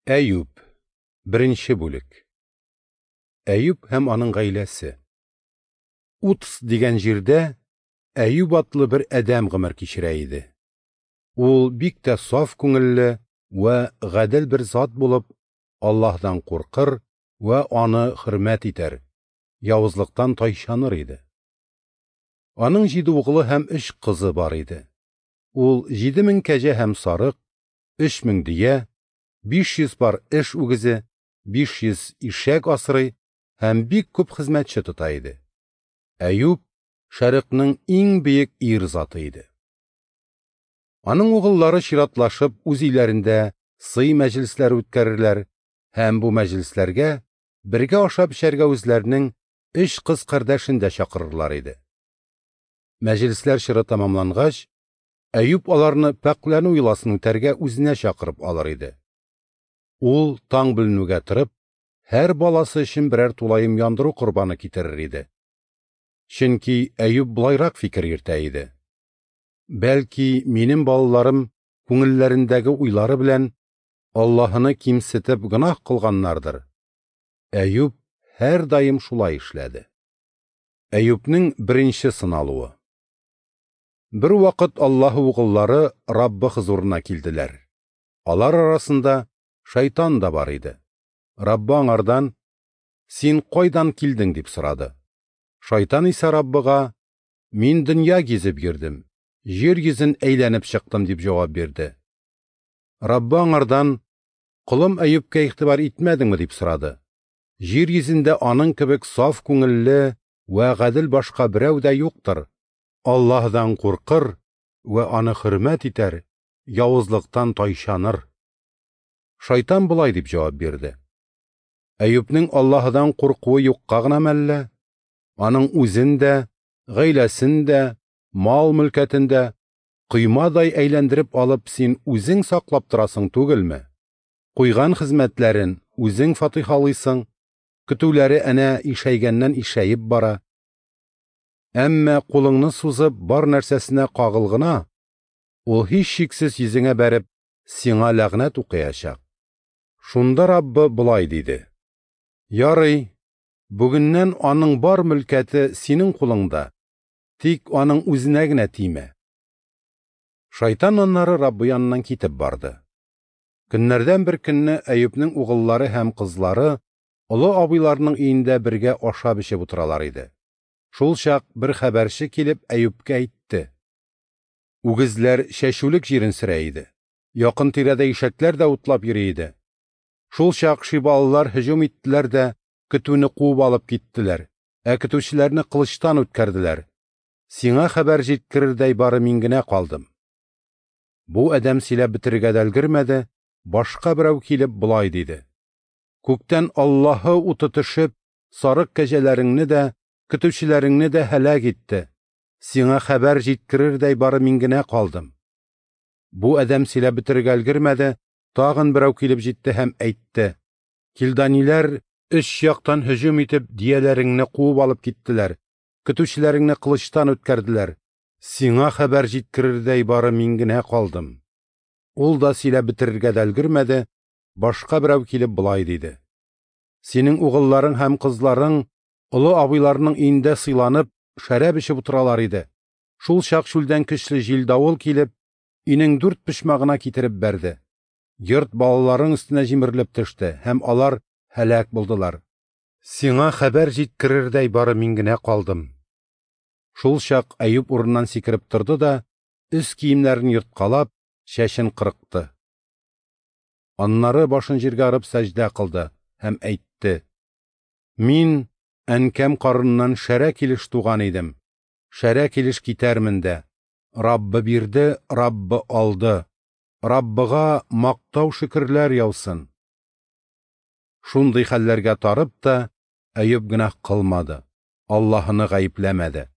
Әюп, беренче бүлек. Әюп һәм аның гаиләсе. Уц дигән җирдә Әюп атлы бер адәм гомер кичерә иде. Ул бик тә саф күңелле вә гадел бер зат булып, Аллаһдан куркыр вә аны хөрмәт итәр, явызлыктан тайчаныр иде. Аның җиде углы һәм өч кызы бар иде. Ул 7000 кәҗә һәм сарык, 3000 дөя, 500 пар эш үгезе, 500 ишәк асрый һәм бик күп хезмәтче тота иде. Әюп Шәрыкның иң бөек ир заты иде. Аның угыллары чиратлашып үз өйләрендә сый мәҗлесләре үткәрерләр һәм бу мәҗлесләргә бергә ашап эчәргә үзләренең өч кыз кардәшен дә чакырырлар иде. Мәҗлесләр чоры тәмамлангач, Әюп аларны пакьләнү йоласын үтәргә үзенә чакырып алыр иде. Ул таң беленүгә торып, һәр баласы өчен берәр тулаем яндыру корбаны китерер иде. Чөнки Әюп болайрак фикер йөртә иде. Бәлки, минем балаларым күңелләрендәге уйлары белән Аллаһыны кимсетеп гөнаһ кылганнардыр. Әюп һәрдаим шулай эшләде. Әюпнең беренче сыналуы. Бер вакыт Аллаһы угыллары Раббы хозурына килделәр. Алар арасында шайтан да бар иде. Раббы аңардан: "Син кайдан килдең?" – дип сорады. Шайтан исә Раббыга: "Мин дөнья гизеп йөрдем, җир йөзен әйләнеп чыктым", – дип җавап бирде. Раббы аңардан: "Колым Әюпкә игътибар итмәдеңме?" – дип сорады. Җир йөзендә аның кебек саф күңелле вә гадел башка берәү дә юктыр. Аллаһдан куркыр вә аны хөрмәт итәр, явызлыктан тайчаныр. Шайтан болай дип җавап бирде: Әюпнең Аллаһыдан куркуы юкка гына мәллә? Аның үзен дә, гаиләсен дә, мал-мөлкәтен дә коймадай әйләндереп алып син үзең саклап торасың түгелме? Куйган хезмәтләрен үзең фатихалыйсың, көтүләре әнә ишәйгәннән ишәеп бара. Әмма кулыңны сузып бар нәрсәсенә кагыл гына, ул һичшиксез йөзеңә бәреп, сиңа ләгънәт укыячак. Шунда Раббы болай диде: Ярый, бүгеннән аның бар мөлкәте синең кулыңда, тик аның үзенә генә тимә. Шайтан аннары Раббы яныннан китеп барды. Көннәрдән бер көнне Әюпнең угыллары һәм кызлары олы абыйларының өендә бергә ашап эчеп утыралар иде. Шул чак бер хәбәрче килеп Әюпкә әйтте: Үгезләр чәчүлек җирен сөрә иде. Якын тирәдә ишәкләр дә утлап йөри иде. Шул чак шибалылар һөҗүм иттеләр дә көтүне куып алып киттеләр, ә көтүчеләрне кылычтан үткәрделәр. Сиңа хәбәр җиткерердәй бары мин генә калдым. Бу адәм сөйләп бетерергә дә өлгермәде, башка берәү килеп болай диде: Күктән Аллаһы уты төшеп, сарык кәҗәләреңне дә, көтүчеләреңне дә һәлак итте. Сиңа хәбәр җиткерердәй бары мин генә калдым. Бу адәм сөйләп бетерергә өлгермәде, тагын берәү килеп җитте һәм әйтте: Килданиләр өч яктан һөҗүм итеп дияләреңне куып алып киттеләр, көтүчеләреңне кылычтан үткәрделәр. Сиңа хәбәр җиткерердәй бары мин генә калдым. Ул да сөйләп бетерергә дә өлгермәде, башка берәү килеп болай диде: Синең угылларың һәм кызларың олы абыйларының өендә сыйланып, шәраб эчеп утыралар иде. Шул чак чүлдән көчле җил-давыл килеп, өйнең дүрт почмагына китереп бәрде. Йорт балаларың өстенә җимерелеп төште, һәм алар һәлак булдылар. Сиңа хәбәр җиткерердәй бары мин генә калдым. Шул чак Әюп урыннан сикереп торды да, өс киемнәрен ерткалап, чәчен кырыкты. Аннары башын җиргә орып сәҗдә кылды һәм әйтте: Мин әнкәм карыныннан шәрә килеш туган идем, шәрә килеш китәрмен дә. Раббы бирде, Раббы алды. Раббыга мактау шөкерләр яусын. Шундый хәлләргә тарып та Әюп гөнаһ кылмады, Аллаһыны гаепләмәде.